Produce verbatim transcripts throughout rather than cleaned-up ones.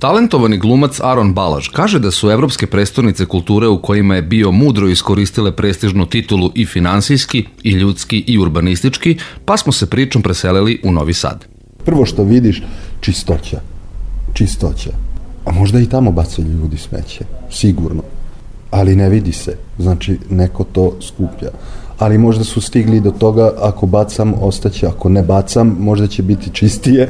Talentovani glumac Aron Balaž kaže da su evropske prestonice kulture u kojima je bio mudro iskoristile prestižnu titulu i finansijski, i ljudski, i urbanistički, pa smo se pričom preselili u Novi Sad. Prvo što vidiš, čistoća. Čistoća. A možda i tamo bacaju ljudi smeće, sigurno. Ali ne vidi se, znači neko to skuplja. Ali možda su stigli do toga, ako bacam, ostaće, ako ne bacam, možda će biti čistije.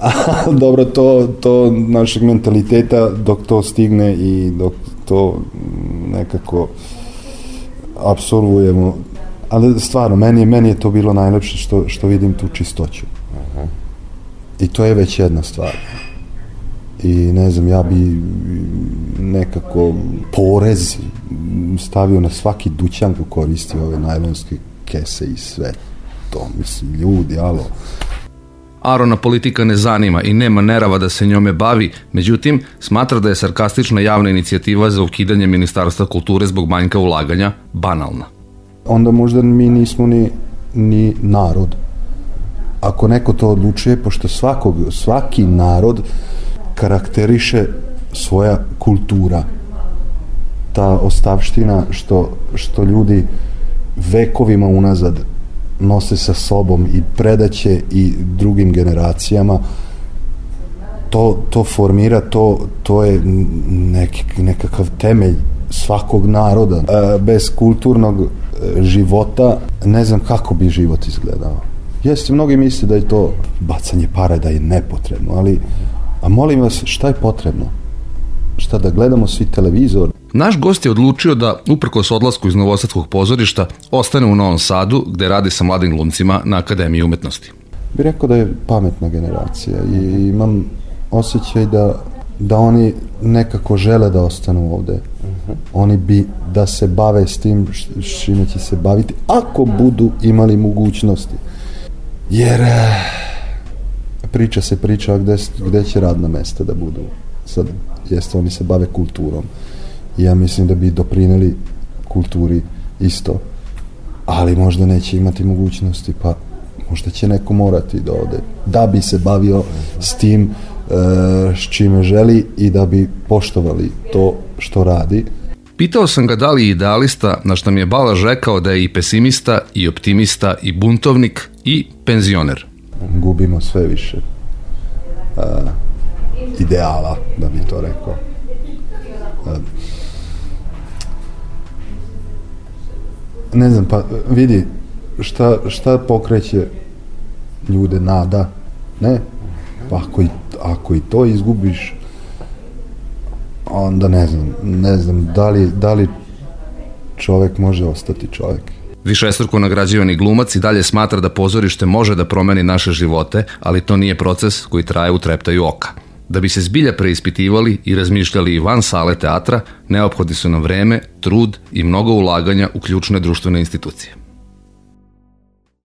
A dobro, to, to našeg mentaliteta dok to stigne i dok to nekako apsolvujemo. Ali stvarno, meni, meni je to bilo najlepše što, što vidim tu čistoću. Uh-huh. I to je već jedna stvar. I ne znam, ja bi nekako porez stavio na svaki dućan ko koristi ove najlonske kese i sve to. Mislim, ljudi, alo. Arona politika ne zanima i nema nerava da se njome bavi, međutim, smatra da je sarkastična javna inicijativa za ukidanje Ministarstva kulture zbog manjka ulaganja banalna. Onda možda mi nismo ni, ni narod. Ako neko to odlučuje, pošto svakog, svaki narod karakteriše svoja kultura. Ta ostavština što, što ljudi vekovima unazad nose sa sobom i predaće i drugim generacijama, to, to formira, to, to je neki, nekakav temelj svakog naroda. E, bez kulturnog života ne znam kako bi život izgledao. Jeste, mnogi misle da je to bacanje para, da je nepotrebno, ali a molim vas, šta je potrebno? Šta, da gledamo svi televizor? Naš gost je odlučio da, uprkos odlasku iz Novosadskog pozorišta, ostane u Novom Sadu, gde radi sa mladim glumcima na Akademiji umetnosti. Bi rekao da je pametna generacija i imam osjećaj da, da oni nekako žele da ostanu ovde. Uh-huh. Oni bi da se bave s tim čime će se baviti, ako budu imali mogućnosti. Jer priča se priča gde, gde će radna mesta da budu. Sad, jeste, oni se bave kulturom. I ja mislim da bi doprineli kulturi isto. Ali možda neće imati mogućnosti, pa možda će neko morati da ode. Da bi se bavio s tim e, s čime želi i da bi poštovali to što radi. Pitao sam ga da li je idealista, na što mi je Balaž rekao da je i pesimista, i optimista, i buntovnik, i penzioner. Gubimo sve više uh, ideala, da bi to rekao. Uh, ne znam, pa vidi, šta, šta pokreće ljude, nada, ne? Pa ako i, ako i to izgubiš, onda ne znam, ne znam da li, da li čovek može ostati čovek. Višestruko nagrađivani glumac i dalje smatra da pozorište može da promeni naše živote, ali to nije proces koji traje u treptaju oka. Da bi se zbilja preispitivali i razmišljali i van sale teatra, neophodni su nam vreme, trud i mnogo ulaganja u ključne društvene institucije.